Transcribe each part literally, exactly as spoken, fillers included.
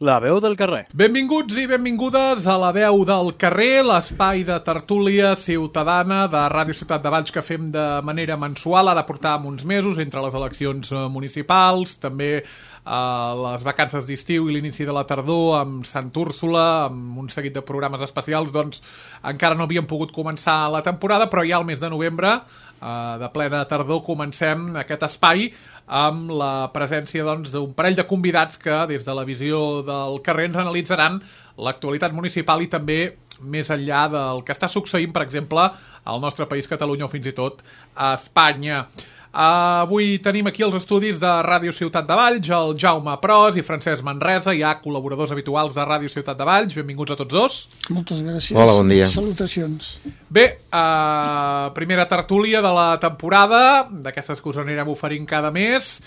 La veu del carrer. Benvinguts i benvingudes a La veu del carrer, l'espai de tertúlia ciutadana de Ràdio Ciutat de Valls que fem de manera mensual. Ara portàvem uns mesos entre les eleccions municipals, també eh, les vacances d'estiu i l'inici de la tardor amb Sant Úrsula, amb un seguit de programes especials. Doncs encara no havíem pogut començar la temporada, però ja al mes de novembre, eh, de plena tardor, comencem aquest espai amb la presència doncs, d'un parell de convidats que des de la visió del carrer ens analitzaran l'actualitat municipal i també més enllà del que està succeint, per exemple, al nostre país, Catalunya, o fins i tot a Espanya. Uh, avui tenim aquí els estudis de Ràdio Ciutat de Valls, el Jaume Pros i Francesc Manresa, ja col·laboradors habituals de Ràdio Ciutat de Valls. Benvinguts a tots dos. Moltes gràcies. Hola, bon dia. Salutacions. Bé, uh, primera tertúlia de la temporada, d'aquestes que us anirem oferint cada mes.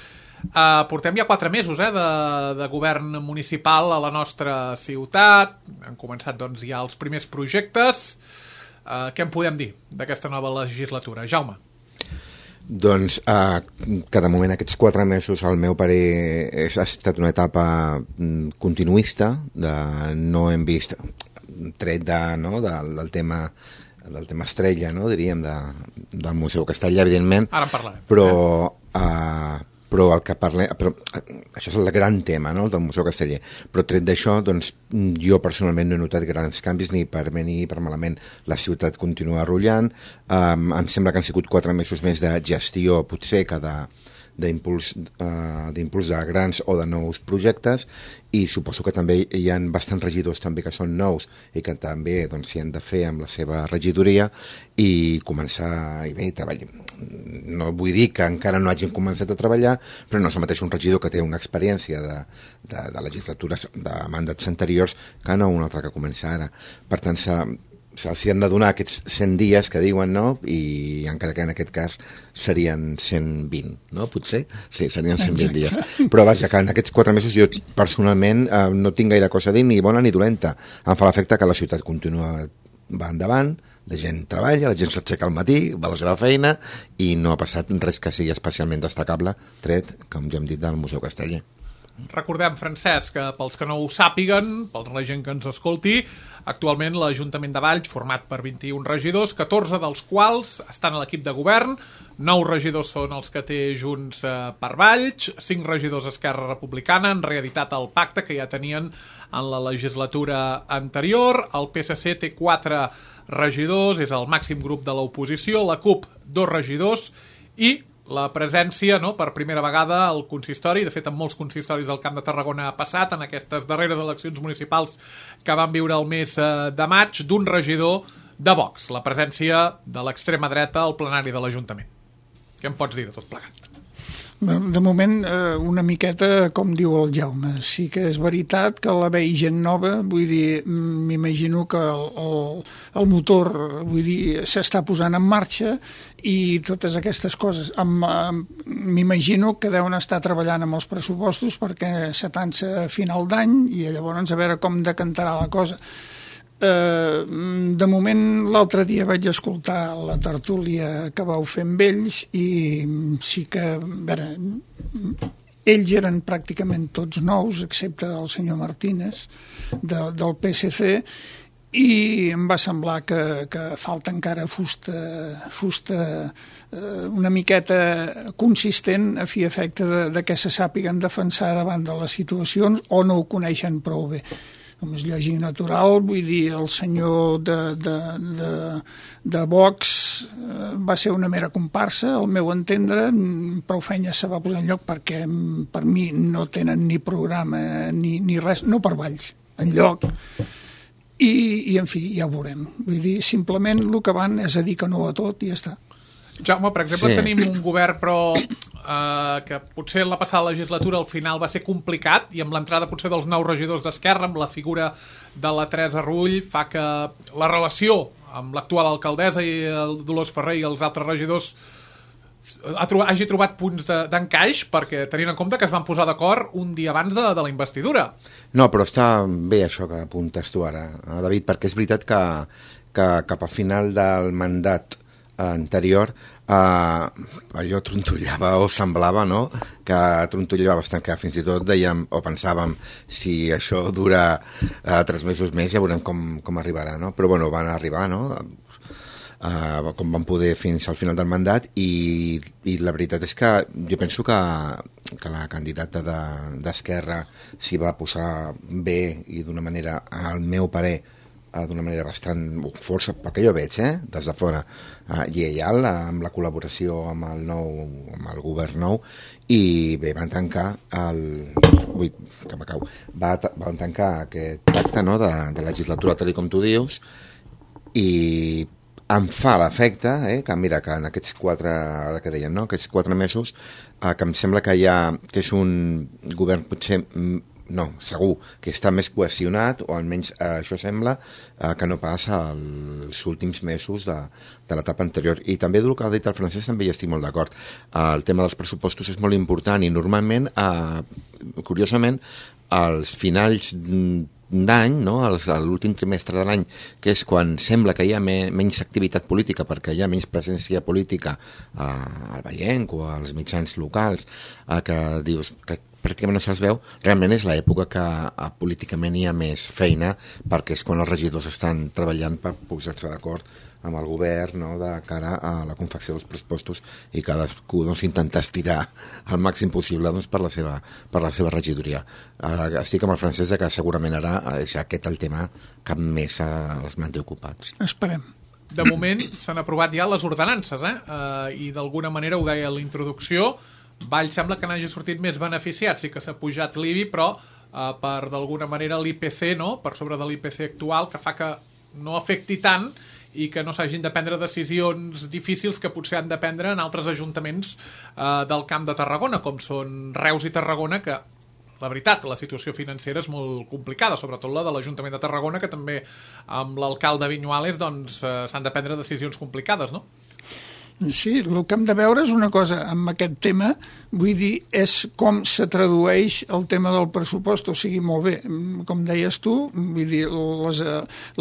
Uh, portem ja quatre mesos eh, de, de govern municipal a la nostra ciutat. Han començat doncs, ja els primers projectes. Uh, què en podem dir d'aquesta nova legislatura? Jaume. Doncs eh, que de moment aquests quatre mesos al meu parer és, ha estat una etapa mm, continuista, de, no hem vist tret de, no, del, del tema del tema estrella, no, diríem, de, del Museu Castellà, evidentment. Ara en parlarem. Però, eh, però el que parlem... Però, això és el gran tema, no?, el del Museu Casteller. Però tret d'això, doncs, jo personalment no he notat grans canvis, ni per bé ni per malament. La ciutat continua rullant. Um, em sembla que han sigut quatre mesos més de gestió, potser, que de d'impuls uh, d'impuls de grans o de nous projectes, i suposo que també hi ha bastants regidors també que són nous i que també doncs, s'hi han de fer amb la seva regidoria i començar i bé, treballar. No vull dir que encara no hagin començat a treballar, però no és el mateix un regidor que té una experiència de, de, de legislatures, de mandats anteriors, que no un altre que comença ara. Per tant, s'ha se'ls han de donar aquests cent dies que diuen, no? I encara que en aquest cas serien cent vint, no? Potser? Sí, serien cent vint dies. Però vaja, que en aquests quatre mesos jo personalment eh, no tinc gaire cosa a dir, ni bona ni dolenta. Em fa l'efecte que la ciutat continua va endavant, la gent treballa, la gent s'aixeca al matí, va a la seva feina i no ha passat res que sigui especialment destacable, tret, com ja hem dit, del Museu Casteller. Recordem, Francesc, que pels que no ho sàpiguen, per la gent que ens escolti, actualment l'Ajuntament de Valls, format per vint-i-un regidors, catorze dels quals estan a l'equip de govern, nou regidors són els que té Junts eh, per Valls, cinc regidors Esquerra Republicana, han reeditat el pacte que ja tenien en la legislatura anterior, el P S C té quatre regidors, és el màxim grup de l'oposició, la CUP dos regidors i la presència, no, per primera vegada al consistori, de fet en molts consistoris del Camp de Tarragona ha passat en aquestes darreres eleccions municipals que van viure el mes de maig, d'un regidor de Vox, la presència de l'extrema dreta al plenari de l'Ajuntament. Què em pots dir de tot plegat? De moment, una miqueta, com diu el Jaume, sí que és veritat que la vei gent nova, vull dir, m'imagino que el, el, el motor, vull dir, s'està posant en marxa i totes aquestes coses. M'imagino que deuen estar treballant amb els pressupostos perquè s'atança a final d'any i llavors a veure com decantarà la cosa. Uh, de moment l'altre dia vaig escoltar la tertúlia que vau fer amb ells i sí que a veure, ells eren pràcticament tots nous excepte el senyor Martínez de, del P S C i em va semblar que, que falta encara fusta, fusta uh, una miqueta consistent a fi efecte de, de que se sàpiguen defensar davant de les situacions o no ho coneixen prou bé. Com és lògic natural, vull dir, el senyor de, de, de, de Vox eh, va ser una mera comparsa, al meu entendre, prou feina se va posar en lloc perquè per mi no tenen ni programa ni, ni res, no per Valls, en lloc. I, i en fi, ja ho veurem. Vull dir, simplement el que van és a dir que no a tot i ja està. Jaume, per exemple, sí. Tenim un govern però eh, que potser en la passada legislatura al final va ser complicat i amb l'entrada potser dels nous regidors d'Esquerra, amb la figura de la Teresa Rull, fa que la relació amb l'actual alcaldessa i el Dolors Ferrer i els altres regidors ha trobat, hagi trobat punts d'encaix, perquè tenint en compte que es van posar d'acord un dia abans de, de la investidura. No, però està bé això que apuntes tu ara, David, perquè és veritat que, que cap al final del mandat anterior, eh, allò trontollava o semblava, no?, que trontollava bastant, que fins i tot dèiem o pensàvem si això dura eh, tres mesos més ja veurem com, com arribarà, no? Però bueno, van arribar, no?, Uh, com van poder fins al final del mandat i, i la veritat és que jo penso que, que la candidata d'Esquerra de, s'hi va posar bé i d'una manera, al meu parer, uh, d'una manera bastant força, perquè jo veig, eh, des de fora, uh, lleial amb la col·laboració amb el nou, amb el govern nou, i bé, van tancar el... Ui, que me cau. Va, van tancar aquest pacte, no?, de, de legislatura, tal com tu dius, i em fa l'efecte, eh, que mira, que en aquests quatre, ara que dèiem, no?, aquests quatre mesos, eh, que em sembla que hi ha, que és un govern potser, no, segur, que està més cohesionat, o almenys eh, això sembla, eh, que no passa els últims mesos de, de l'etapa anterior. I també del que ha dit el Francesc també hi estic molt d'acord. Eh, el tema dels pressupostos és molt important i normalment, eh, curiosament, als finals d'any, no?, l'últim trimestre de l'any, que és quan sembla que hi ha me, menys activitat política perquè hi ha menys presència política eh, al Vallenc o als mitjans locals, eh, que dius que pràcticament no se'ls veu, realment és l'època que eh, políticament hi ha més feina, perquè és quan els regidors estan treballant per posar-se d'acord amb el govern, no?, de cara a la confecció dels pressupostos, i cadascú doncs, intenta estirar al màxim possible doncs, per, la seva, per la seva regidoria. Uh, estic amb el Francesc que segurament ara és aquest el tema que més uh, els manté ocupats. Esperem. De moment s'han aprovat ja les ordenances, eh? Uh, i d'alguna manera, ho deia a la introducció, Valls sembla que n'hagi sortit més beneficiat, sí que s'ha pujat l'I B I, però uh, per d'alguna manera l'I P C, no?, per sobre de l'I P C actual, que fa que no afecti tant i que no s'hagin de prendre decisions difícils que potser han de prendre en altres ajuntaments eh, del Camp de Tarragona, com són Reus i Tarragona, que, la veritat, la situació financera és molt complicada, sobretot la de l'Ajuntament de Tarragona, que també amb l'alcalde Viñuales doncs, eh, s'han de prendre decisions complicades, no? Sí, el que hem de veure és una cosa amb aquest tema, vull dir, és com se tradueix el tema del pressupost, o sigui, molt bé, com deies tu, vull dir, les,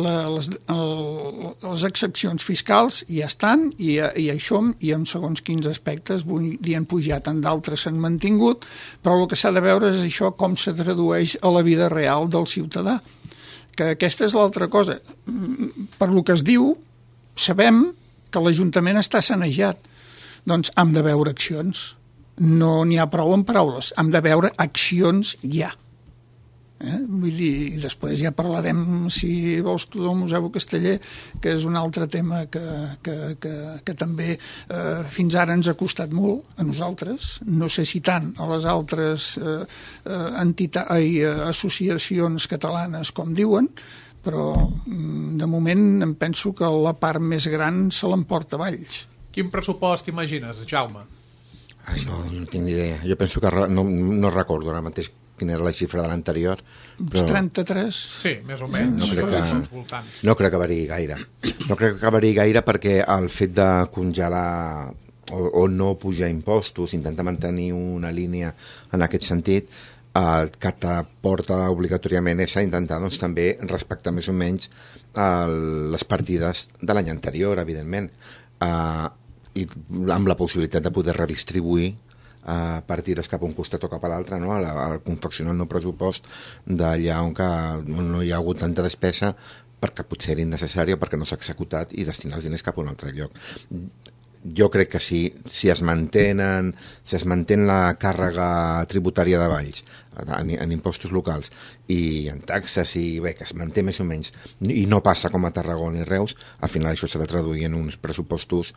les, les excepcions fiscals ja estan, i, i això, i en segons quins aspectes, vull dir, han pujat, en d'altres s'han mantingut, però el que s'ha de veure és això, com se tradueix a la vida real del ciutadà, que aquesta és l'altra cosa. Per lo que es diu, sabem que l'Ajuntament està sanejat. Doncs hem de veure accions. No n'hi ha prou en paraules. Hem de veure accions ja. Eh? Vull dir, i després ja parlarem, si vols tu, del Museu Casteller, que és un altre tema que, que, que, que també eh, fins ara ens ha costat molt a nosaltres. No sé si tant a les altres eh, entitats, ai, associacions catalanes, com diuen, però de moment em penso que la part més gran se l'emporta Valls. Quin pressupost imagines, Jaume? Ai, no, no tinc ni idea. Jo penso que no, no recordo ara mateix quina era la xifra de l'anterior. Però... trenta-tres? Sí, més o menys. No crec que, no crec que variï gaire. No crec que variï gaire perquè el fet de congelar o, o no pujar impostos, intentar mantenir una línia en aquest sentit, el que t'aporta obligatòriament és a intentar doncs, també respectar més o menys el, les partides de l'any anterior, evidentment, uh, i amb la possibilitat de poder redistribuir uh, partides cap a un costat o cap a l'altre, no? Al confeccionar el nou pressupost d'allà on, que, on no hi ha hagut tanta despesa perquè potser era innecessària, perquè no s'ha executat, i destinar els diners cap a un altre lloc. Jo crec que si, si es mantenen, si es mantén la càrrega tributària de Valls en, en impostos locals i en taxes, i bé, que es manté més o menys, i no passa com a Tarragona i Reus, al final això s'ha de traduir en uns pressupostos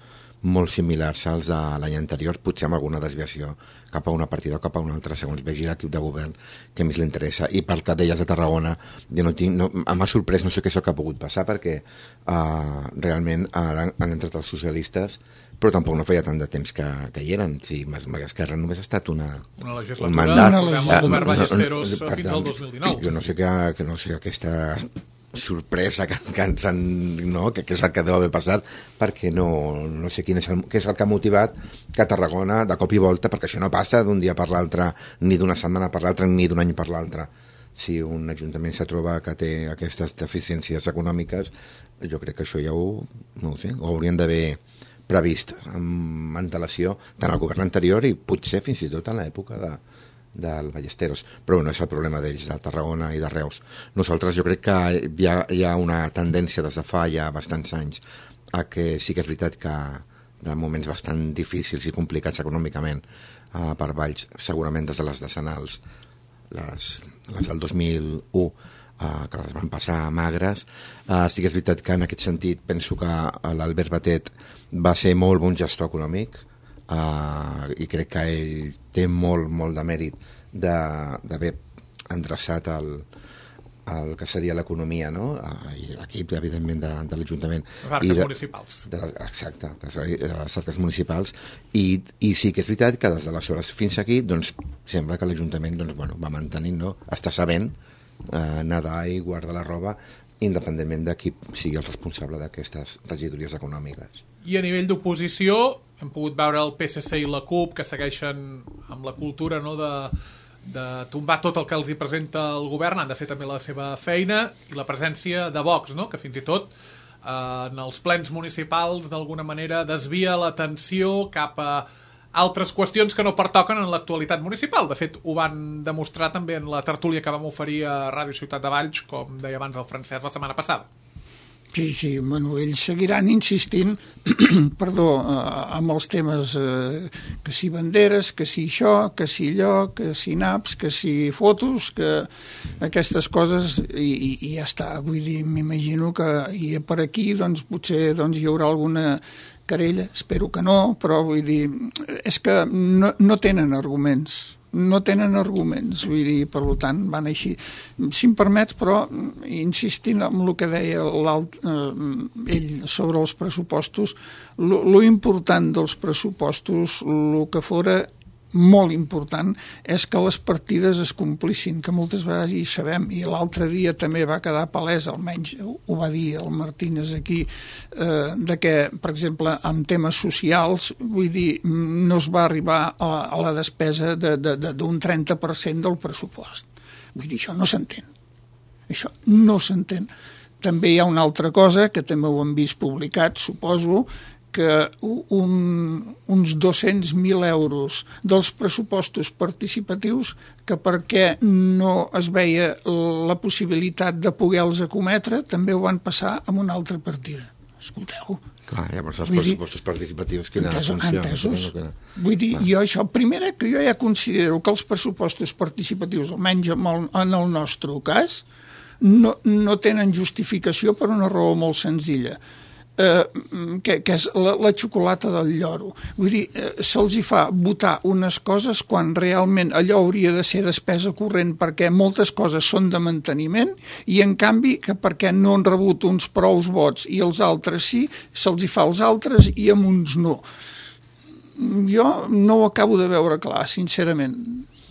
molt similars als de l'any anterior, potser amb alguna desviació cap a una partida o cap a una altra, segons vegi l'equip de govern que més li interessa. I pel que deies de Tarragona, jo no tinc, no, m'ha sorprès, no sé què és el que ha pogut passar, perquè uh, realment ara han entrat els socialistes, però tampoc no feia tant de temps que, que hi eren. Sí, Esquerra només ha estat una, una legislatura, un mandat. Una legislatura, el govern Ballesteros no, no, no, fins al dos mil dinou. Jo no sé que, que no sé aquesta sorpresa que, que ens han, no, que, que és el que deu haver passat, perquè no, no sé quin és el, què és el que ha motivat que Tarragona de cop i volta, perquè això no passa d'un dia per l'altre, ni d'una setmana per l'altra, ni d'un any per l'altre. Si un ajuntament se troba que té aquestes deficiències econòmiques, jo crec que això ja ho, no ho sé, ho haurien d'haver previst amb antelació tant al govern anterior i potser fins i tot en l'època de, del Ballesteros, però no és el problema d'ells, de Tarragona i de Reus. Nosaltres jo crec que hi ha, hi ha una tendència des de fa ja bastants anys a que sí que és veritat que de moments bastant difícils i complicats econòmicament uh, per Valls, segurament des de les decenals, les, les del dos mil u, uh, que les van passar magres. Uh, sí que és veritat que en aquest sentit penso que l'Albert Batet va ser molt bon gestor econòmic, uh, i crec que ell té molt, molt de mèrit d'haver endreçat el, el que seria l'economia, no? I l'equip, evidentment, de, de l'Ajuntament. Les arques de, municipals. De, exacte, les arques municipals. I, I sí que és veritat que des d'aleshores fins aquí, doncs, sembla que l'Ajuntament doncs, bueno, va mantenint, no? Està sabent eh, nedar i guardar la roba, independentment de qui sigui el responsable d'aquestes regidories econòmiques. I a nivell d'oposició, hem pogut veure el P S C i la CUP, que segueixen amb la cultura, no?, de... de tombar tot el que els hi presenta el govern, han de fer també la seva feina, i la presència de Vox, no?, que fins i tot eh, en els plens municipals d'alguna manera desvia l'atenció cap a altres qüestions que no pertoquen en l'actualitat municipal. De fet, ho van demostrar també en la tertúlia que vam oferir a Ràdio Ciutat de Valls, com deia abans el Francesc la setmana passada. Sí, sí, bueno, ells seguiran insistint perdó, eh, amb els temes eh, que si banderes, que si això, que si allò, que si naps, que si fotos, que aquestes coses, i, i, i ja està. Vull dir, m'imagino que i per aquí doncs, potser doncs, hi haurà alguna querella, espero que no, però vull dir, és que no, no tenen arguments. no tenen arguments, vull dir, per tant, van així. Si em permets, però, insistint en el que deia eh, ell sobre els pressupostos, lo, lo important dels pressupostos, el que fora molt important, és que les partides es complissin, que moltes vegades hi sabem, i l'altre dia també va quedar palès, almenys ho va dir el Martínez aquí, eh, de que, per exemple, en temes socials, vull dir, no es va arribar a, a la despesa de, de, de, d'un trenta per cent del pressupost. Vull dir, això no s'entén. Això no s'entén. També hi ha una altra cosa, que també ho hem vist publicat, suposo, que un, uns dos-cents mil euros dels pressupostos participatius, que perquè no es veia la possibilitat de poder-los acometre, també ho van passar amb una altra partida. Escolteu. Clar, llavors els pressupostos participatius quina entesos, funció? Entesos. No, no, Vull dir, jo això, primera, que jo ja considero que els pressupostos participatius, almenys en el nostre cas, no, no tenen justificació per una raó molt senzilla. Eh, que, que és la, la xocolata del lloro. Vull dir, eh, se'ls hi fa votar unes coses quan realment allò hauria de ser despesa corrent, perquè moltes coses són de manteniment, i en canvi que perquè no han rebut uns prous vots i els altres sí, se'ls hi fa als altres i amb uns no. Jo no ho acabo de veure clar, sincerament.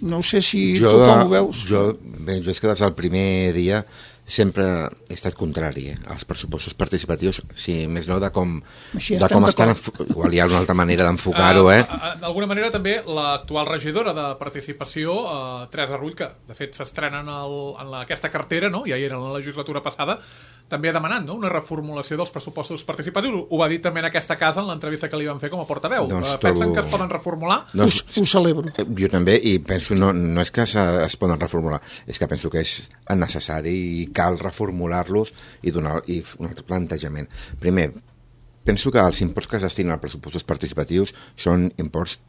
No sé si jo, tu com ho veus. Jo, bé, jo és que des del primer dia sempre he estat contrari eh, als pressupostos participatius, si més no de com, de com estan, igual hi ha una altra manera d'enfocar-ho. Eh? Uh, D'alguna manera també l'actual regidora de participació, uh, Teresa Rull, que de fet s'estrena en, el, en la, aquesta cartera, no? Ja hi era en la legislatura passada, també ha demanat, no?, una reformulació dels pressupostos participatius. Ho va dir també en aquesta casa en l'entrevista que li van fer com a portaveu. Doncs uh, pensen trobo... que es poden reformular? Doncs, ho, ho celebro. Jo també, i penso, no, no és que es poden reformular, és que penso que és necessari i cal reformular-los i donar i un altre plantejament. Primer, penso que els imports que es destinen als pressupostos participatius són imports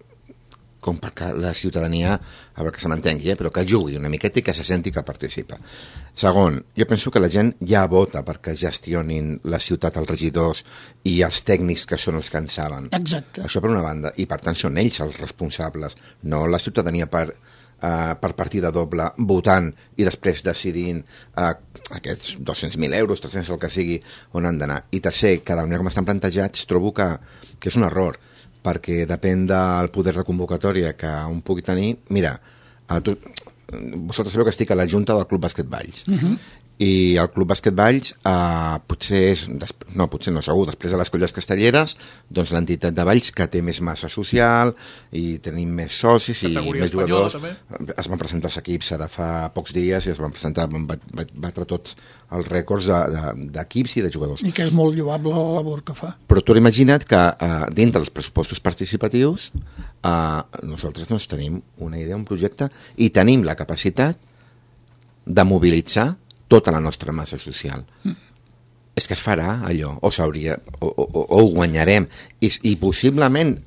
com perquè la ciutadania, a veure que se m'entengui, eh, però que jugui una miqueta i que se senti que participa. Segon, jo penso que la gent ja vota perquè gestionin la ciutat els regidors i els tècnics que són els que en saben. Exacte. Això per una banda, i per tant són ells els responsables, no la ciutadania per Uh, per partida doble, votant i després decidint uh, aquests dos-cents mil euros, tres-cents el que sigui, on han d'anar. I tercer, cada manera com estan plantejats, trobo que, que és un error, perquè depèn del poder de convocatòria que un pugui tenir. Mira, uh, tu, vosaltres sabeu que estic a la Junta del Club Bàsquet Valls, uh-huh. i el Club Bàsquet Valls eh, potser és, no, potser no segur, després de les Colles Castelleres, doncs l'entitat de Valls que té més massa social i tenim més socis i categoria més jugadors. També. Es van presentar els equips ara fa pocs dies i es van presentar, van batre tots els rècords d'equips de, de, i de jugadors. I que és molt lloable la labor que fa. Però tu imagina't que eh, dintre dels pressupostos participatius eh, nosaltres doncs, tenim una idea, un projecte i tenim la capacitat de mobilitzar tota la nostra massa social. Mm. És que es farà allò, o s'hauria, o, o, o ho guanyarem, I, i possiblement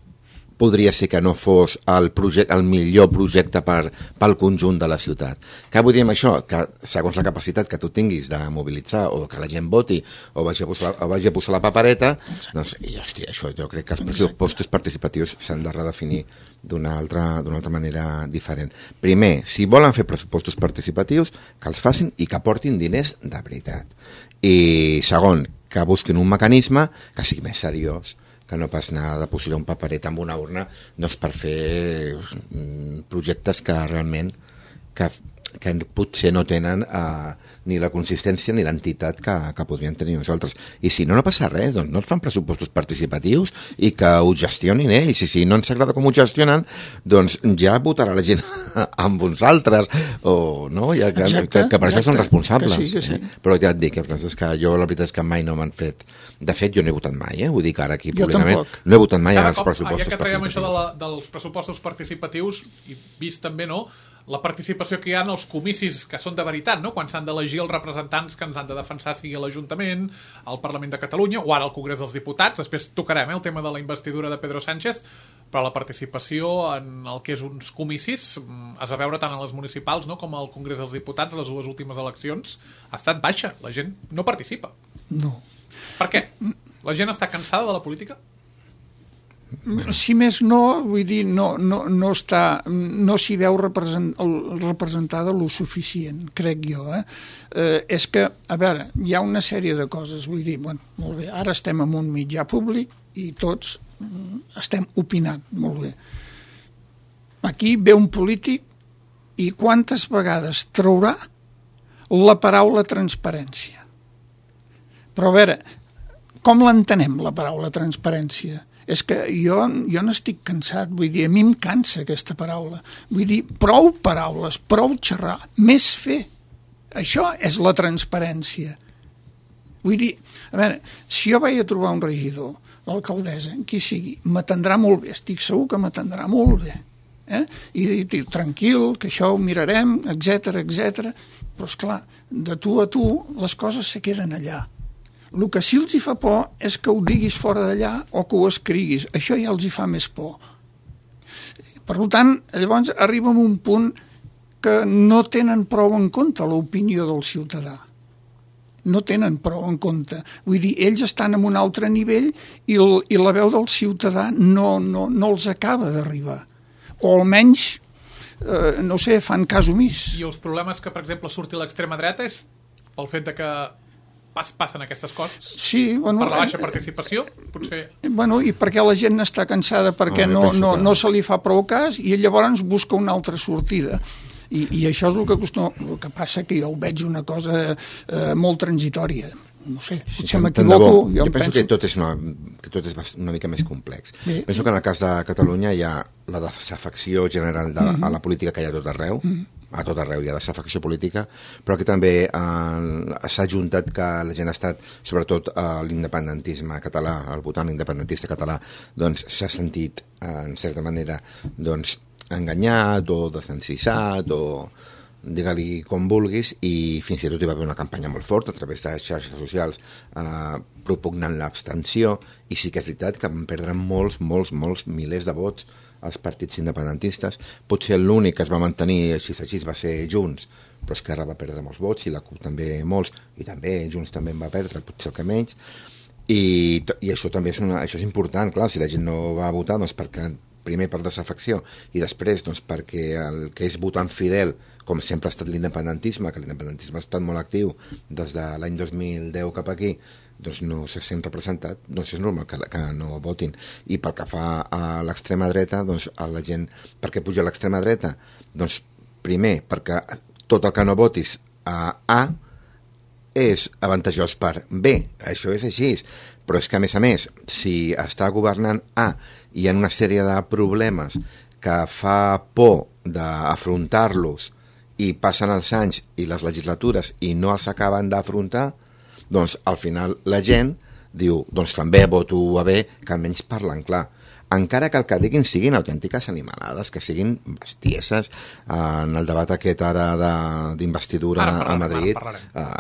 podria ser que no fos el, projecte, el millor projecte per, pel conjunt de la ciutat. Què vull dir amb això? Que segons la capacitat que tu tinguis de mobilitzar o que la gent voti o vagi a posar, o vagi a posar la papereta, doncs, i, hòstia, això jo crec que els pressupostos participatius s'han de redefinir d'una altra, d'una altra manera diferent. Primer, si volen fer pressupostos participatius, que els facin i que portin diners de veritat. I segon, que busquin un mecanisme que sigui més seriós, que no pas anar de posar un paperet amb una urna doncs per fer projectes que realment que, que potser no tenen eh, ni la consistència ni l'entitat que, que podrien tenir nosaltres. I si no, no passa res, doncs no et fan pressupostos participatius i que ho gestionin ells. I si no ens agrada com ho gestionen, doncs ja votarà la gent amb uns altres, o no? Ja, que, exacte, que, que per exacte, això són responsables. Que sí, que sí. Eh? Però ja et dic, és que jo la veritat és que mai no m'han fet... De fet, jo no he votat mai, eh? Vull dir que ara aquí públicament no he votat mai Cada als cop, pressupostos ja que traiem participatius. això de la, dels pressupostos participatius, i vist també, no?, la participació que hi ha en els comicis que són de veritat, no?, quan s'han d'elegir els representants que ens han de defensar, sigui a l'Ajuntament, al Parlament de Catalunya o ara al Congrés dels Diputats. Després tocarem eh, el tema de la investidura de Pedro Sánchez, però la participació en el que és uns comicis es va veure tant a les municipals, no?, com al Congrés dels Diputats, les dues últimes eleccions, ha estat baixa. La gent no participa. No. Per què? La gent està cansada de la política? Si més no, vull dir, no, no, no està, no s'hi veu represent, representada lo suficient, crec jo. Eh? Eh, és que, a veure, hi ha una sèrie de coses, vull dir, bueno, molt bé, ara estem en un mitjà públic i tots estem opinant, molt bé. Aquí ve un polític i quantes vegades traurà la paraula transparència? Però a veure, com l'entenem, la paraula transparència? És que jo, jo n'estic cansat, vull dir, a mi em cansa aquesta paraula. Vull dir, prou paraules, prou xerrar, més fer. Això és la transparència. Vull dir, a veure, si jo vaig a trobar un regidor, l'alcaldessa, qui sigui, m'atendrà molt bé, estic segur que m'atendrà molt bé. Eh? I dir, tranquil, que això ho mirarem, etcètera, etcètera. Però, esclar, de tu a tu, les coses se queden allà. El que sí els hi fa por és que ho diguis fora d'allà o que ho escriguis. Això ja els hi fa més por. Per tant, llavors arriba a un punt que no tenen prou en compte l'opinió del ciutadà. No tenen prou en compte. Vull dir, ells estan en un altre nivell i, el, i la veu del ciutadà no, no, no els acaba d'arribar. O almenys, eh, no sé, fan cas omís. I els problemes que, per exemple, surti l'extrema dreta és pel fet de que pas, passen aquestes coses? Sí, bueno, per la baixa participació, potser... Bueno, i perquè la gent està cansada perquè ah, no, no, que... no se li fa prou cas i llavors busca una altra sortida. I, i això és el que acostuma... El que passa que jo ho veig una cosa eh, molt transitòria. No sé, si sí, m'equivoco... Jo, jo em penso, penso que tot és, una, que tot és una mica més complex. Bé. Penso que en el cas de Catalunya hi ha la desafecció general de, mm-hmm. a la política que hi ha a tot arreu, mm-hmm. a tot arreu hi ha desafecció política, però que també eh, s'ha ajuntat que la gent ha estat, sobretot eh, l'independentisme català, el votant independentista català, doncs s'ha sentit, eh, en certa manera, doncs, enganyat o desencissat o digue-li com vulguis, i fins i tot hi va haver una campanya molt forta a través de xarxes socials eh, propugnant l'abstenció, i sí que és veritat que van perdre molts, molts, molts milers de vots als partits independentistes. Potser l'únic que es va mantenir així així va ser Junts, però Esquerra va perdre molts vots i la CUP també molts, i també Junts també en va perdre, potser el que menys, i, i això també és, una, això és important. Clar, si la gent no va votar, doncs perquè primer per desafecció i després doncs, perquè el que és votant fidel, com sempre ha estat l'independentisme, que l'independentisme ha estat molt actiu des de l'any dos mil deu cap aquí, doncs no se sent representat, doncs és normal que, que no votin. I pel que fa a l'extrema dreta, doncs a la gent, per què puja a l'extrema dreta? Doncs primer, perquè tot el que no votis a A és avantajós per B, això és així, però és que a més a més, si està governant A i hi ha una sèrie de problemes que fa por d'afrontar-los i passen els anys i les legislatures i no els acaben d'afrontar, doncs al final la gent diu, doncs també voto a B, que almenys parlen clar. Encara que el que diguin siguin autèntiques animalades, que siguin bestieses. En el debat aquest ara d'investidura a Madrid, eh,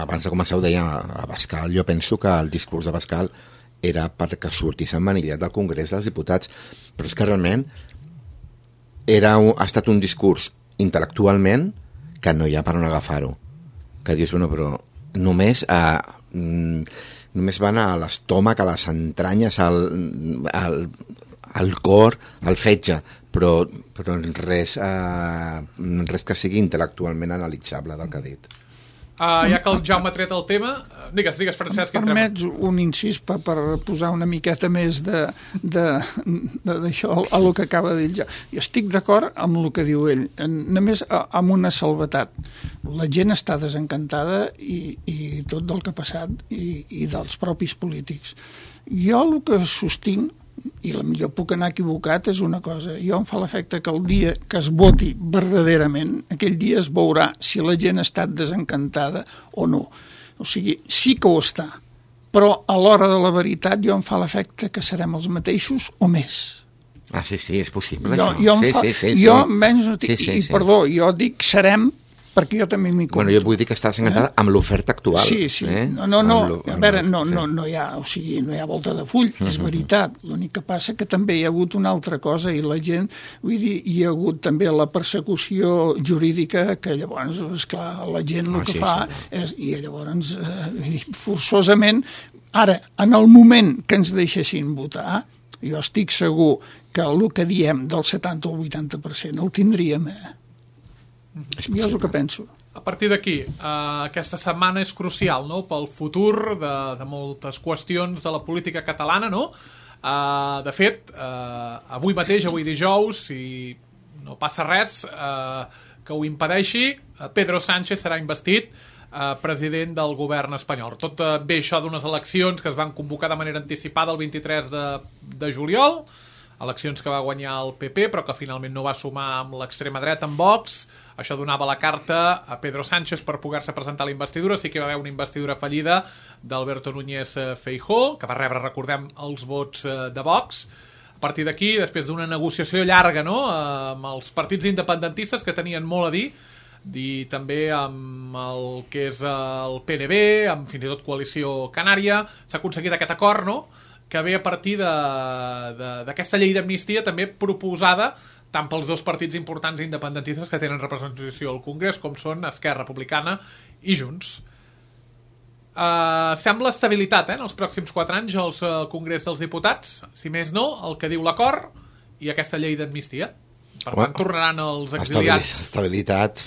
abans de començar ho deia a Bascal, jo penso que el discurs de Bascal era perquè sortís emmanillat del Congrés dels Diputats, però és que realment era un, ha estat un discurs intel·lectualment que no hi ha per on agafar-ho, que dius, bueno, però només a... Mm, només van a l'estómac, a les entranyes, al, al, al cor, al fetge, però, però res, eh, res que sigui intel·lectualment analitzable del que ha dit. Uh, ja que el Jaume ha tret el tema, digues, digues, Francesc. Em permets un incís per, per posar una miqueta més de d'això a el que acaba de dir ja. Jo estic d'acord amb el que diu ell, només amb una salvetat. La gent està desencantada i, i tot del que ha passat i, i dels propis polítics. Jo el que sostinc, i la millor puc anar equivocat, és una cosa. Jo em fa l'efecte que el dia que es voti verdaderament, aquell dia es veurà si la gent ha estat desencantada o no. O sigui, sí que ho està, però a l'hora de la veritat jo em fa l'efecte que serem els mateixos o més. Ah, sí, sí, és possible, jo, això. Jo, sí, fa, sí, sí, jo sí. menys no dic, sí, sí, i sí. perdó, jo dic serem, perquè jo també m'hi compto. Bueno, jo vull dir que està desencantada eh? amb l'oferta actual. Sí, sí. Eh? No, no, no. A veure, no, sí. no, no, hi ha, o sigui, no hi ha volta de full, és veritat. L'únic que passa que també hi ha hagut una altra cosa i la gent, vull dir, hi ha hagut també la persecució jurídica que llavors, esclar, la gent el ah, que sí, fa sí. és, i llavors, eh, forçosament, ara, en el moment que ens deixessin votar, jo estic segur que el que diem del setanta o el vuitanta per cent el tindríem, eh? Jo és el que penso. A partir d'aquí, eh, aquesta setmana és crucial, no?, pel futur de, de moltes qüestions de la política catalana, no? Eh, de fet, eh, avui mateix, avui dijous, si no passa res eh, que ho impedeixi, Pedro Sánchez serà investit eh, president del govern espanyol. Tot eh, ve això d'unes eleccions que es van convocar de manera anticipada el vint-i-tres de, de juliol, eleccions que va guanyar el P P, però que finalment no va sumar amb l'extrema dreta, amb Vox. Això donava la carta a Pedro Sánchez per poder-se presentar a la investidura. Sí que va haver una investidura fallida d'Alberto Núñez Feijóo, que va rebre, recordem, els vots de Vox. A partir d'aquí, després d'una negociació llarga, no?, amb els partits independentistes que tenien molt a dir, i també amb el que és el P N B, amb fins i tot Coalició Canària, s'ha aconseguit aquest acord, no?, que ve a partir d'aquesta llei d'amnistia també proposada tant pels dos partits importants independentistes que tenen representació al Congrés, com són Esquerra Republicana i Junts. Uh, sembla estabilitat, eh, en els pròxims quatre anys al uh, Congrés dels Diputats, si més no, el que diu l'acord i aquesta llei d'amnistia. Per tant, bueno, tornaran els exiliats. Estabilitat,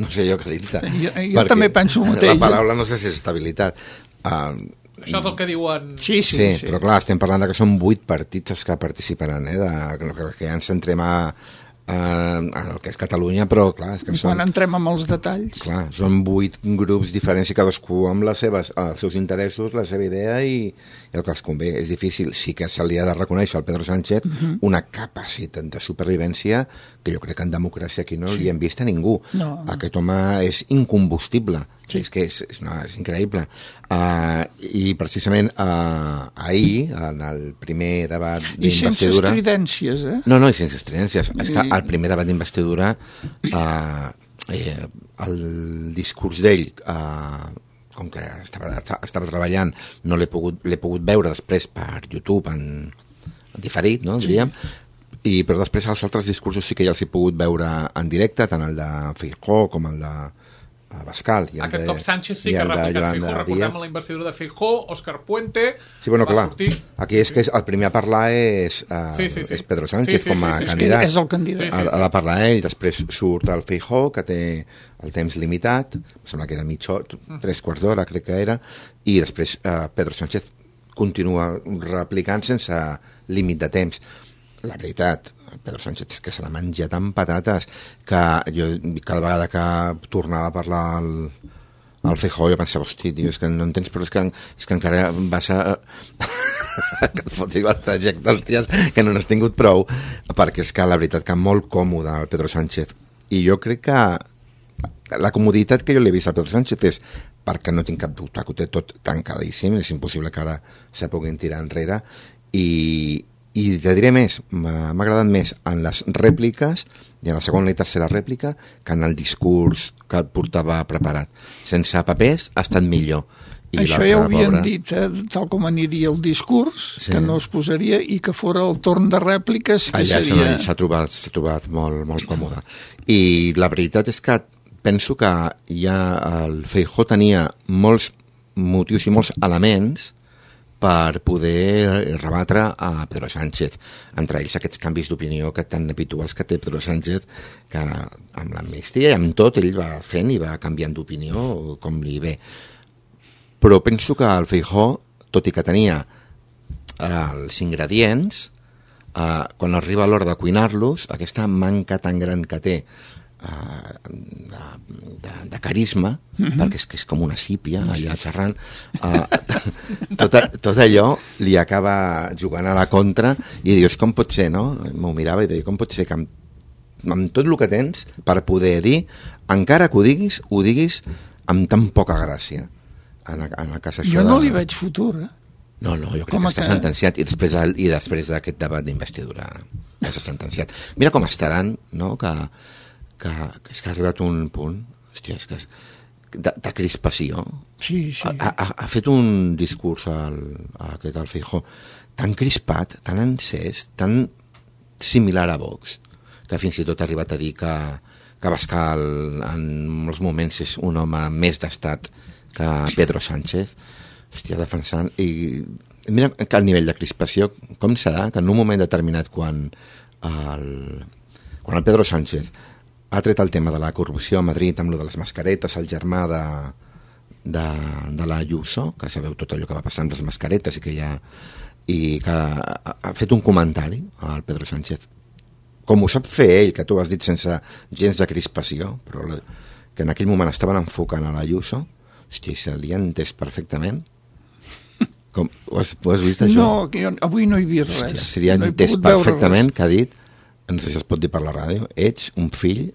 no sé jo què dir-te. Jo, jo també penso el mateix. La paraula no sé si és estabilitat. Uh, Això és el que diuen... Sí, sí, sí, sí. Però clar, estem parlant de que són vuit partits els que participaran, eh, de, que, que ja ens centrem a, a, a el que és Catalunya, però clar... És que I quan són, entrem amb els detalls... Clar, són vuit grups diferents i cadascú amb les seves, els seus interessos, la seva idea i, i el que els convé. És difícil, sí que se li ha de reconèixer al Pedro Sánchez uh-huh. una capacitat de supervivència que jo crec que en democràcia aquí no sí. li hem vist a ningú. No, no. Aquest home és incombustible. Sí. És que és, és, no, és increïble. Uh, I precisament uh, ahir, en el primer debat d'investidura... I sense estridències, eh? No, no, i sense estridències. I... És que al primer debat d'investidura uh, eh, el discurs d'ell, uh, com que estava, estava treballant, no l'he pogut, l'he pogut veure després per YouTube en, en diferit, no, diríem, sí. I, però després els altres discursos sí que ja els he pogut veure en directe, tant el de Feijóo com el de Bascal. I Aquest de, cop Sánchez sí que ha replicat Feijóo. Recordem la investidura de Feijóo, Òscar Puente... Sí, bueno, clar, sortir... aquí és que és, el primer a parlar és, uh, sí, sí, sí. és Pedro Sánchez sí, sí, com a sí, sí, candidat. És el candidat. Sí, sí, sí. Ha, ha de parlar ell, després surt el Feijóo, que té el temps limitat, em sembla que era mitja hora, tres quarts d'hora, crec que era, i després uh, Pedro Sánchez continua replicant sense límit de temps. La veritat, Pedro Sánchez és que se l'ha menjat amb patates, que jo cada vegada que tornava a parlar el, el Feijóo, jo pensava, hosti, tio, és que no entens, però és que, és que encara vas a... que et fotis el trajecte, hòsties, que no n'has tingut prou, perquè és que la veritat que molt còmode el Pedro Sánchez. I jo crec que la comoditat que jo l'he vist al Pedro Sánchez és perquè no tinc cap dubte que ho té tot tancadíssim, és impossible que ara se puguin tirar enrere, i, i te diré més, m'ha agradat més en les rèpliques i en la segona i tercera rèplica que en el discurs que et portava preparat. Sense papers ha estat millor. I això ja ho havien pobra... dit, eh, tal com aniria el discurs, sí. que no es posaria i que fora el torn de rèpliques que allà seria... Allà s'ha trobat, s'ha trobat molt, molt còmode. I la veritat és que penso que ja el Feijóo tenia molts motius i molts elements per poder rebatre a Pedro Sánchez, entre ells aquests canvis d'opinió que tan habituals que té Pedro Sánchez, que amb l'amnistia i amb tot ell va fent i va canviant d'opinió com li ve. Però penso que el Feijóo, tot i que tenia eh, els ingredients, eh, quan arriba l'hora de cuinar-los, aquesta manca tan gran que té De, de, de carisma, mm-hmm. perquè és que és com una sípia allà xerrant, uh, tot, tot allò li acaba jugant a la contra i dius, com pot ser, no? M'ho mirava i deia, com pot ser que amb, amb tot el que tens per poder dir, encara que ho diguis, ho diguis amb tan poca gràcia en, en el cas això jo no de... li veig futur, eh? No, no, jo crec com que està que... sentenciat i després, i després d'aquest debat d'investidura ja s'ha sentenciat. Mira com estaran, no?, que Que, que és que ha arribat un punt, hòstia, és que és, de, de crispació. Sí, sí. Ha, ha, ha fet un discurs al, a aquest al Feijóo tan crispat, tan encès, tan similar a Vox, que fins i tot ha arribat a dir que, que Abascal en molts moments és un home més d'estat que Pedro Sánchez. Hòstia, defensant... I mira que el nivell de crispació, com serà que en un moment determinat quan el, quan el Pedro Sánchez ha tret el tema de la corrupció a Madrid amb lo de les mascaretes, el germà de, de, de la Ayuso, que sabeu tot allò que va passar amb les mascaretes i que ja i que ha, ha fet un comentari al Pedro Sánchez, com ho sap fer ell, que tu has dit sense gens de crispació, però la, que en aquell moment estaven enfocant a la Ayuso, hòstia, se li ha entès perfectament. Com, ho, has, ho has vist, això? No, que jo, avui no he vist res. Hòstia, se li ha no entès perfectament que ha dit, no sé si es pot dir per la ràdio, ets un fill.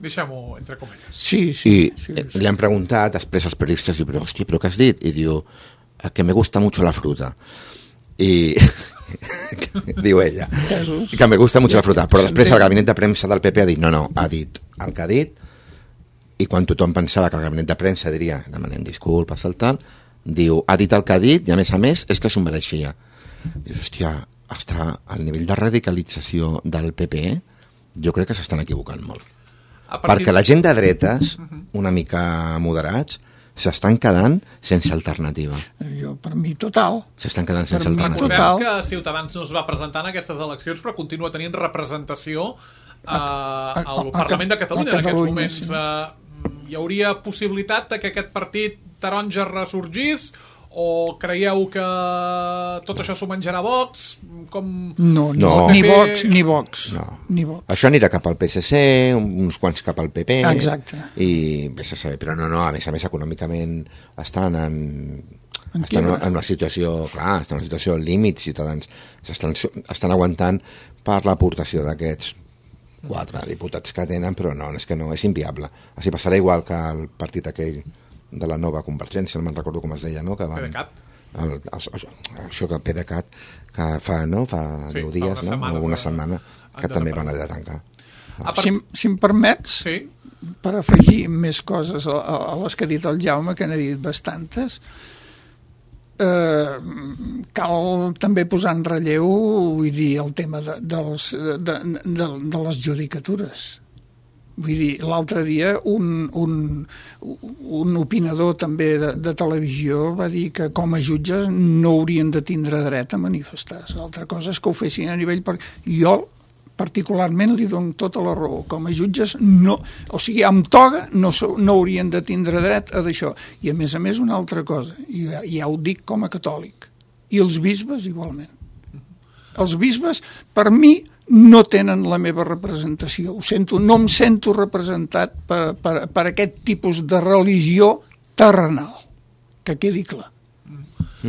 Deixem-ho entre comelles. Sí, sí. I sí, sí. sí. li han preguntat després als periodistes, i però, hòstia, però què has dit? I diu, que me gusta mucho la fruta. I diu ella, Casos. que me gusta mucho la fruta. Però després el gabinet de premsa del P P ha dit, no, no, ha dit el que ha dit, i quan tothom pensava que el gabinet de premsa diria, demanant disculpes, el tal, diu, ha dit el que ha dit, i a més a més és que s'ho mereixia. Dius, hòstia, està al nivell de radicalització del P P, jo crec que s'estan equivocant molt. Partir... Perquè la gent de dretes, una mica moderats, s'estan quedant sense alternativa. Jo, per mi, total. S'estan quedant sense per alternativa. Recordem que Ciutadans no es va presentar en aquestes eleccions, però continua tenint representació eh, al a, a, Parlament de Catalunya en aquests moments. Sí. Eh, hi hauria possibilitat de que aquest partit taronja ressorgís, o creieu que tot això s'ho menjarà Vox? Com... No, no, no. Ni Vox, ni Vox. No. Ni Vox. Això anirà cap al P S C, uns quants cap al P P. Exacte. I vés a saber, però no, no, a més a més econòmicament estan en, en, estan en una situació, clar, estan en una situació límit, Ciutadans estan, estan aguantant per l'aportació d'aquests quatre diputats que tenen, però no, és que no, és inviable. Així passarà igual que el partit aquell de la nova Convergència, no me'n recordo com es deia, no? Que van, PDeCAT. El, el, això que PDeCAT, que fa, no? fa sí, deu dies, fa no? una setmana, que també van haver de tancar. Part... Si, si em permets, sí. per afegir més coses a, a les que ha dit el Jaume, que n'ha dit bastantes, eh, cal també posar en relleu, vull dir, el tema de, dels, de, de, de les judicatures. Vull dir, l'altre dia un, un, un opinador també de, de televisió va dir que com a jutges no haurien de tindre dret a manifestar-se. L'altra cosa és que ho fessin a nivell... Per... Jo particularment li dono tota la raó. Com a jutges no... O sigui, amb toga no, no haurien de tindre dret a d'això. I a més a més una altra cosa, i ja, ja ho dic com a catòlic, i els bisbes igualment. Els bisbes, per mi, no tenen la meva representació. Ho sento, no em sento representat per, per, per aquest tipus de religió terrenal, que quedi clar.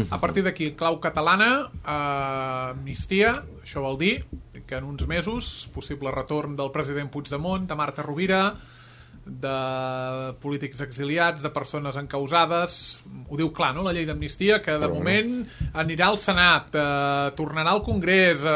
A partir d'aquí, clau catalana, eh, amnistia, això vol dir que en uns mesos, possible retorn del president Puigdemont, de Marta Rovira, de polítics exiliats, de persones encausades, ho diu clar, no?, la llei d'amnistia, que de Però moment no. anirà al Senat, eh, tornarà al Congrés, eh,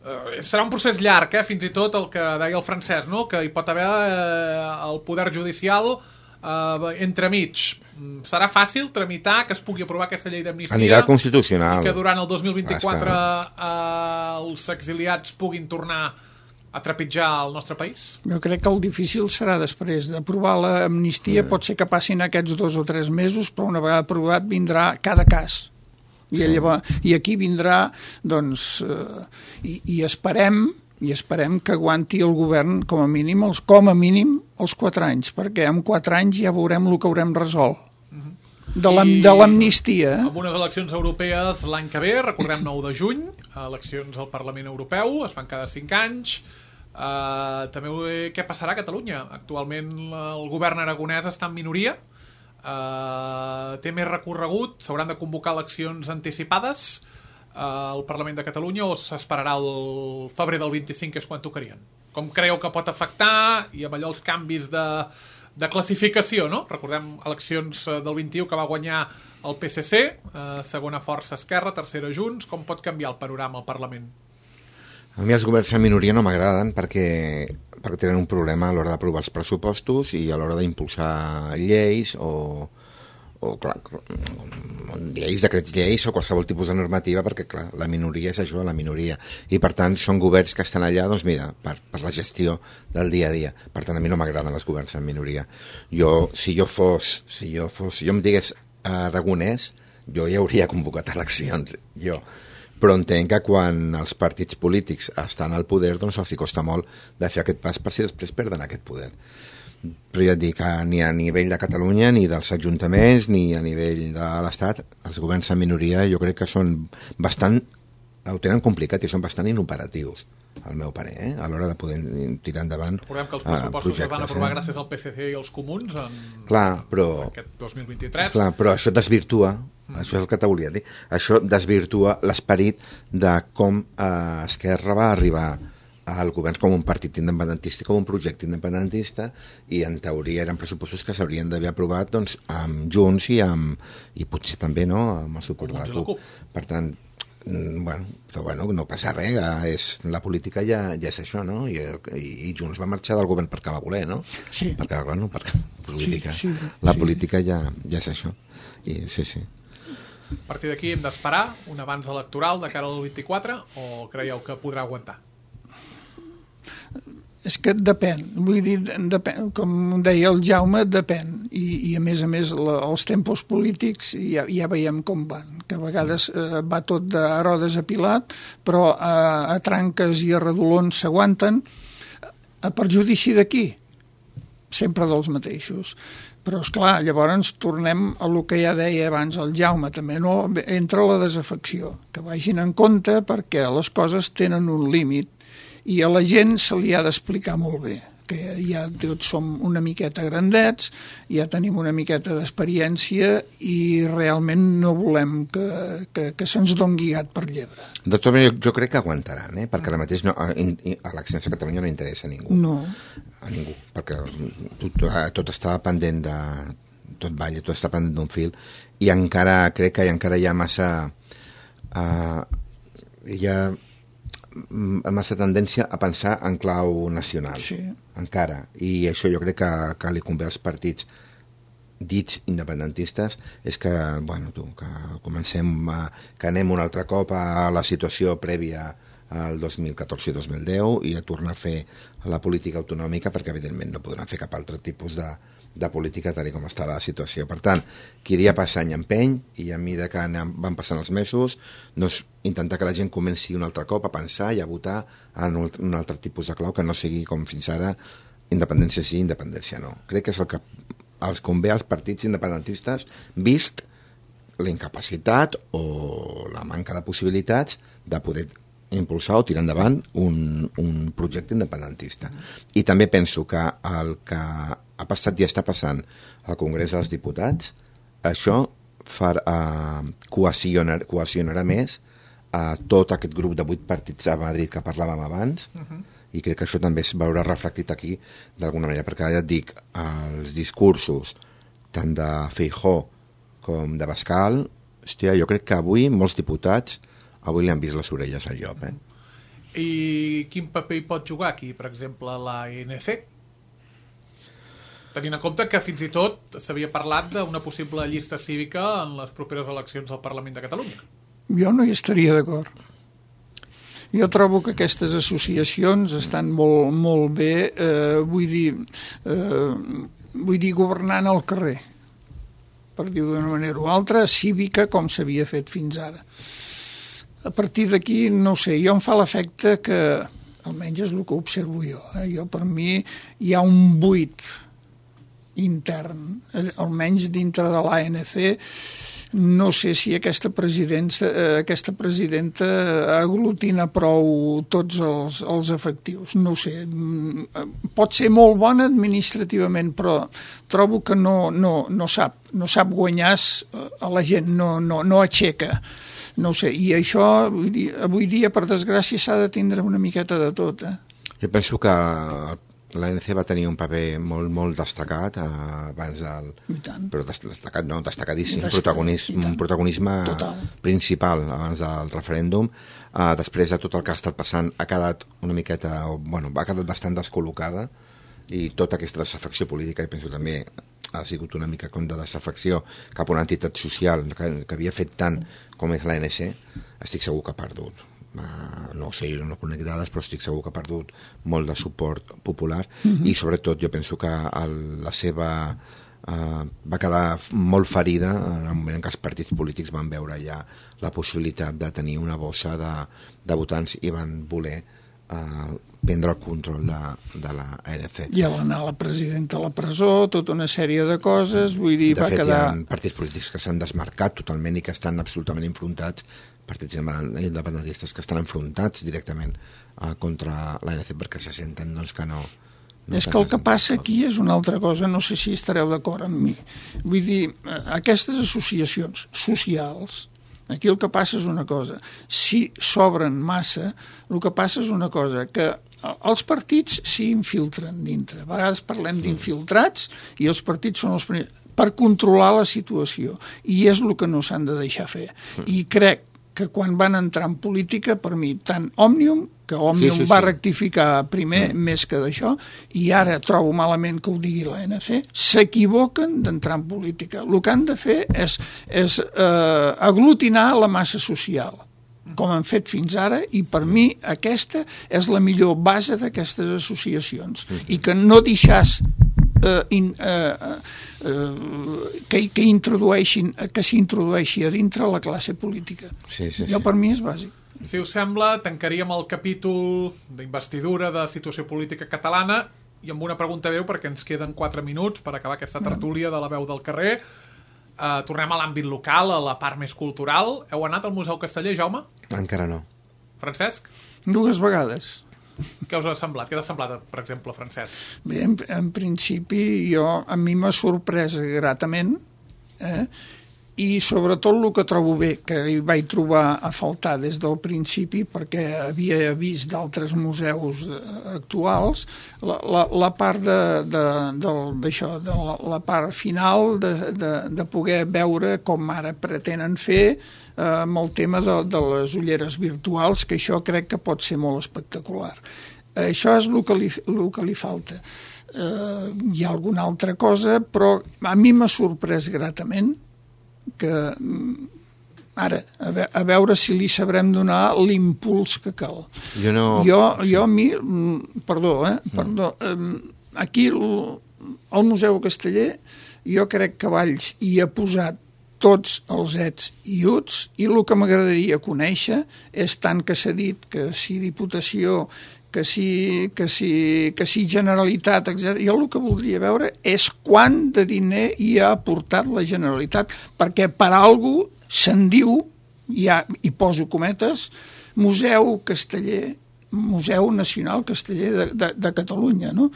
eh, serà un procés llarg, eh, fins i tot el que deia el Francesc, no?, que hi pot haver eh, el poder judicial eh, entremig. Serà fàcil tramitar que es pugui aprovar aquesta llei d'amnistia? Anirà al Constitucional. I que durant el dos mil vint-i-quatre eh, els exiliats puguin tornar a trepitjar el nostre país? Jo crec que el difícil serà després d'aprovar l'amnistia, mm. pot ser que passin aquests dos o tres mesos, però una vegada aprovat vindrà cada cas. I, sí. llavors, i aquí vindrà, doncs, eh, i, i esperem i esperem que aguanti el govern com a mínim els, com a mínim els quatre anys, perquè en quatre anys ja veurem el que haurem resolt. De l'amnistia. Amb unes eleccions europees l'any que ve, recordem nou de juny, eleccions al Parlament Europeu, es fan cada cinc anys. Uh, també què passarà a Catalunya? Actualment el govern aragonès està en minoria, uh, té més recorregut, s'hauran de convocar eleccions anticipades uh, al Parlament de Catalunya, o s'esperarà el febrer del vint-i-cinc, que és quan tocarien? Com creieu que pot afectar, i amb allò els canvis de, de classificació, no? Recordem eleccions del vint-i-u que va guanyar el P S C, uh, segona força Esquerra, tercera Junts. Com pot canviar el panorama al Parlament? A mi els governs en minoria no m'agraden perquè, perquè tenen un problema a l'hora d'aprovar els pressupostos i a l'hora d'impulsar lleis o, o clar, lleis, decrets lleis o qualsevol tipus de normativa, perquè clar, la minoria és això, la minoria, i per tant són governs que estan allà, doncs mira, per, per la gestió del dia a dia. Per tant, a mi no m'agraden els governs en minoria. Jo, si jo fos, si jo fos, si jo em digués aragonès, jo ja hauria convocat eleccions, jo. Però entenc que quan els partits polítics estan al poder, doncs els hi costa molt de fer aquest pas per si després perden aquest poder. Però ja et dic que ni a nivell de Catalunya, ni dels ajuntaments, ni a nivell de l'Estat, els governs en minoria jo crec que són bastant, ho tenen complicat i són bastant inoperatius, al meu parer, eh? A l'hora de poder tirar endavant. Recordem que els pressupostos es van aprovar eh? gràcies al P S C i als comuns en, clar, però, en aquest dos mil vint-i-tres. Clar, però això desvirtua, mm. això és el que te volia dir, això desvirtua l'esperit de com eh, Esquerra va arribar al govern com un partit independentista, com un projecte independentista, i en teoria eren pressupostos que s'haurien d'haver aprovat doncs, amb Junts i, amb, i potser també no, amb el suport de la CUP. Per tant, bueno, però bueno, no passa res, és, la política ja, ja és això, no? I, i, i Junts va marxar del govern perquè va voler, no? Sí. Perquè, bueno, perquè política, sí, sí, la sí. política ja, ja és això. I, sí, sí. A partir d'aquí hem d'esperar un avanç electoral de cara al vint-i-quatre, o creieu que podrà aguantar? És que depèn, vull dir, depèn, com deia el Jaume, depèn, i, i a més a més la, els tempos polítics ja, ja veiem com van, que a vegades eh, va tot de Herodes a Pilat, però a, a tranques i a redolons s'aguanten, a perjudici de qui? Sempre dels mateixos. Però, esclar, llavors tornem a lo que ja deia abans el Jaume, també, no? Entra la desafecció, que vagin en compte perquè les coses tenen un límit, i a la gent se li ha d'explicar molt bé, que ja tots som una miqueta grandets, ja tenim una miqueta d'experiència i realment no volem que, que, que se'ns doni gat per llebre. Doctor, jo, jo crec que aguantaran, eh? Perquè ara mateix no, a, a eleccions a Catalunya no interessa a ningú. No. A ningú, perquè tot, tot està pendent de... tot balla, tot està pendent d'un fil, i encara crec que encara hi ha massa... Uh, hi ha massa tendència a pensar en clau nacional, sí. encara, i això jo crec que, que li convé als partits dits independentistes, és que, bueno, tu, que comencem a, que anem un altre cop a la situació prèvia al dos mil catorze i dos mil deu i a tornar a fer la política autonòmica, perquè evidentment no podran fer cap altre tipus de de política tal com està la situació. Per tant, qui dia passa any empeny, i a mesura que anem, van passant els mesos, doncs intentar que la gent comenci un altre cop a pensar i a votar en un altre tipus de clau que no sigui com fins ara independència sí, independència no. Crec que és el que els convé als partits independentistes, vist la incapacitat o la manca de possibilitats de poder impulsar o tirar endavant un, un projecte independentista. I també penso que el que ha passat i està passant al Congrés dels Diputats, això far, uh, cohesionar, cohesionarà més a tot aquest grup de vuit partits a Madrid que parlàvem abans, uh-huh. i crec que això també es veurà reflectit aquí d'alguna manera, perquè ja et dic, els discursos tant de Feijóo com de Bascal, hòstia, jo crec que avui molts diputats avui li han vist les orelles al llop, eh? I quin paper hi pot jugar aquí, per exemple, l'A N C? Tenint en compte que fins i tot s'havia parlat d'una possible llista cívica en les properes eleccions al Parlament de Catalunya. Jo no hi estaria d'acord. Jo trobo que aquestes associacions estan molt, molt bé, eh, vull dir, eh, vull dir, governant al carrer, per dir-ho d'una manera o altra, cívica, com s'havia fet fins ara. A partir d'aquí, no sé, jo em fa l'efecte que, almenys és el que observo jo, eh? Jo per mi hi ha un buit intern, almenys dintre de l'A N C. No sé si aquesta presidenta, aquesta presidenta aglutina prou tots els, els efectius, no ho sé. Pot ser molt bona administrativament, però trobo que no, no, no sap, no sap guanyar a la gent, no, no, no aixeca. No ho sé, i això, vull dir, avui dia, per desgràcia, s'ha de tindre una miqueta de tot. Eh? Jo penso que l'A N C va tenir un paper molt, molt destacat eh, abans del... Però destacat, no, destacadíssim, Destacat, protagonisme, un protagonisme Total. principal abans del referèndum. Eh, després de tot el que ha estat passant, ha quedat una miqueta, bueno, ha quedat bastant descol·locada, i tota aquesta desafecció política, i penso també ha sigut una mica com de desafecció cap a una entitat social que, que havia fet tant com és l'A N C, estic segur que ha perdut. Uh, no sé, jo no conec dades, però estic segur que ha perdut molt de suport popular, mm-hmm. i sobretot jo penso que el, la seva uh, va quedar molt ferida en el moment en què els partits polítics van veure ja la possibilitat de tenir una bossa de, de votants i van voler uh, prendre el control de, de la A N C. I a l'anar la presidenta a la presó, tota una sèrie de coses, vull dir, de va fet, quedar... hi ha partits polítics que s'han desmarcat totalment i que estan absolutament enfrontats, partits independentistes que estan enfrontats directament uh, contra l'A N C perquè se senten doncs, que no... no és que el que passa aquí és una altra cosa, no sé si estareu d'acord amb mi. Vull dir, aquestes associacions socials, aquí el que passa és una cosa, si s'obren massa, el que passa és una cosa, que els partits s'hi infiltren dintre. A vegades parlem d'infiltrats i els partits són els primers per controlar la situació, i és el que no s'han de deixar fer. I crec que quan van entrar en política, per mi, tant Òmnium, que Òmnium sí, sí, va sí. rectificar primer mm. més que d'això, i ara trobo malament que ho digui l'A N C, s'equivoquen d'entrar en política. El que han de fer és, és eh, aglutinar la massa social, com han fet fins ara, i per mi aquesta és la millor base d'aquestes associacions. Mm. I que no deixàs eh, in, eh, eh, que, que introdueixin, que s'introdueixi a dintre la classe política. Sí, sí, jo sí. per mi és bàsic. Si us sembla, tancaríem el capítol d'investidura de situació política catalana i amb una pregunta breu, perquè ens queden quatre minuts per acabar aquesta tertúlia de la veu del carrer. Uh, tornem a l'àmbit local, a la part més cultural. Heu anat al Museu Casteller, Jaume? Encara no. Francesc? Dues vegades. Què us ha semblat? Què t'ha semblat, per exemple, Francesc? Bé, en, en principi, jo, a mi m'ha sorprès gratament, eh? I sobretot el que trobo bé, que hi vaig trobar a faltar des del principi, perquè havia vist d'altres museus actuals, la, la, la part de, de, d'això, de la, la part final de, de, de poder veure com ara pretenen fer eh, amb el tema de, de les ulleres virtuals, que això crec que pot ser molt espectacular. Això és el que li, el que li falta. Eh, hi ha alguna altra cosa, però a mi m'ha sorprès gratament que ara, a, ve a veure si li sabrem donar l'impuls que cal. Jo no... Jo, jo a mi, perdó, eh, perdó, aquí el, el Museu Casteller, jo crec que Valls hi ha posat tots els ets i uts, i el que m'agradaria conèixer és tant que s'ha dit que si Diputació, que si, que si, que si Generalitat, etcètera. Jo el que voldria veure és quant de diner hi ha aportat la Generalitat, perquè per algú se'n diu, ja hi poso cometes, Museu Casteller, Museu Nacional Casteller de, de, de Catalunya, no?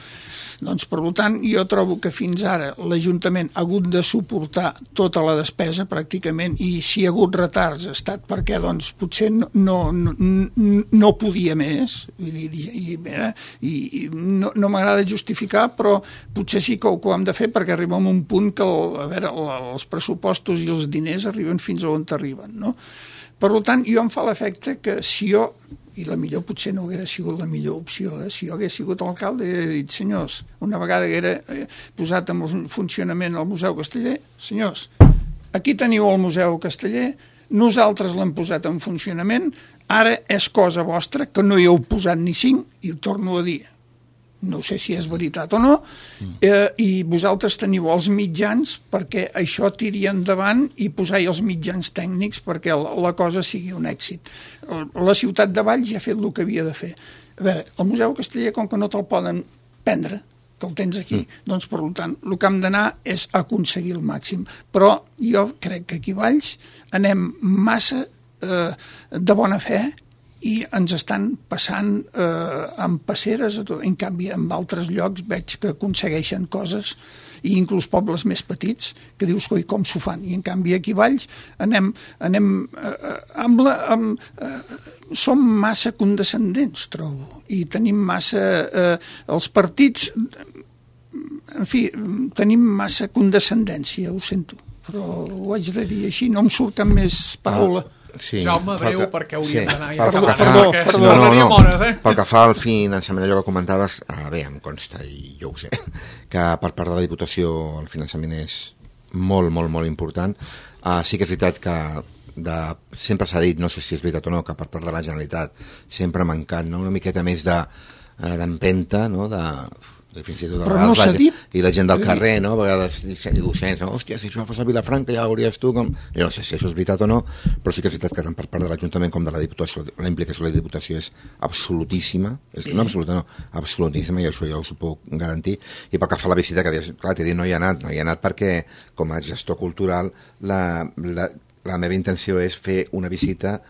Doncs, per tant, jo trobo que fins ara l'Ajuntament ha hagut de suportar tota la despesa, pràcticament, i si hi ha hagut retards ha estat perquè, doncs, potser no, no, no, no podia més, vull dir, i, i, i no, no m'agrada justificar, però potser sí que ho, que ho hem de fer perquè arribem a un punt que, el, a veure, els pressupostos i els diners arriben fins a on arriben, no? Per tant, jo em fa l'efecte que si jo, i la millor potser no haguera sigut la millor opció, eh? Si jo hagués sigut alcalde i he dit, senyors, una vegada que era eh, posat en funcionament el Museu Casteller, senyors, aquí teniu el Museu Casteller, nosaltres l'hem posat en funcionament, ara és cosa vostra, que no hi heu posat ni cinc, i ho torno a dir, no sé si és veritat o no, eh, i vosaltres teniu els mitjans perquè això tiri endavant i posar-hi els mitjans tècnics perquè la, la cosa sigui un èxit. La ciutat de Valls ja ha fet el que havia de fer. A veure, el Museu Casteller, com que no te'l poden prendre, que el tens aquí, mm. doncs, per tant, el que hem d'anar és aconseguir el màxim. Però jo crec que aquí a Valls anem massa eh, de bona fe i ens estan passant eh, amb passeres, en canvi en altres llocs veig que aconsegueixen coses, i inclús pobles més petits, que dius, coi, com s'ho fan? I en canvi aquí a Valls anem, anem eh, amb la, amb, eh, som massa condescendents, trobo, i tenim massa eh, els partits, en fi, tenim massa condescendència, ho sento, però ho haig de dir així, no em surt cap més paraula. Sí, Jaume, breu, que, perquè hauríem sí, d'anar ja perdó, acabant, perdó, perquè perdó, no, no, no, hores, eh? Pel que fa al finançament, allò que comentaves, ah, bé, em consta, i jo ho sé, que per part de la Diputació el finançament és molt, molt, molt important. Uh, sí que és veritat que de, sempre s'ha dit, no sé si és veritat o no, que per part de la Generalitat sempre ha mancat, no? Una miqueta més de d'empenta, no? de... fins i tot però no s'ha dit. I la gent del carrer, no? A vegades docents, no? Hòstia, si això fos a Vilafranca ja ho hauries tu com... Jo no sé si això és veritat o no, però sí que és veritat que tant per part de l'Ajuntament com de la Diputació, la implicació de la Diputació és absolutíssima, és, no absoluta, no, absolutíssima, i això ja ho puc garantir. I pel que fa a la visita, que dius, clar, t'he dit, no hi ha anat, no hi ha anat perquè, com a gestor cultural, la, la, la meva intenció és fer una visita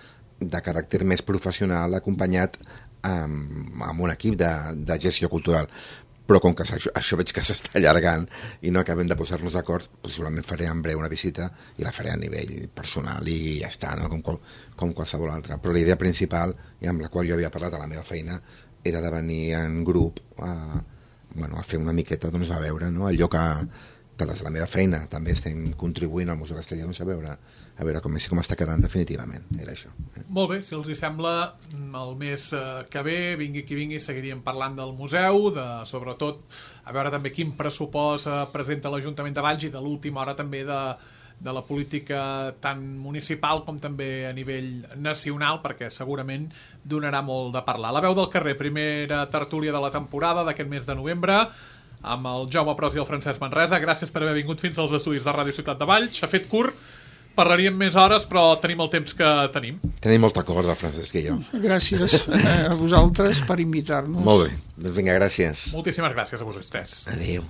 de caràcter més professional, acompanyat amb, amb un equip de, de gestió cultural. Però com que això, això veig que s'està allargant i no acabem de posar-nos d'acord, possiblement faré en breu una visita i la faré a nivell personal i ja està, no? com, qual, com qualsevol altra. Però la idea principal, i amb la qual jo havia parlat a la meva feina, era de venir en grup a, bueno, a fer una miqueta, doncs, a veure, no? Allò que, que des de la meva feina també estem contribuint al Museu Casteller, doncs, a veure a veure com, com està quedant definitivament, era això. Eh? Molt bé, si els hi sembla, el mes que ve, vingui qui vingui, seguiríem parlant del museu, de, sobretot, a veure també quin pressupost presenta l'Ajuntament de Valls i de l'última hora també de, de la política tant municipal com també a nivell nacional, perquè segurament donarà molt de parlar. La veu del carrer, primera tertúlia de la temporada d'aquest mes de novembre, amb el Jaume Pros i el Francesc Manresa. Gràcies per haver vingut fins als estudis de Ràdio Ciutat de Valls. S'ha fet curt, parlaríem més hores, però tenim el temps que tenim. Tenim molta corda, Francesc i jo. Gràcies a vosaltres per invitar-nos. Molt bé. Doncs vinga, gràcies. Moltíssimes gràcies a vosaltres. Adéu.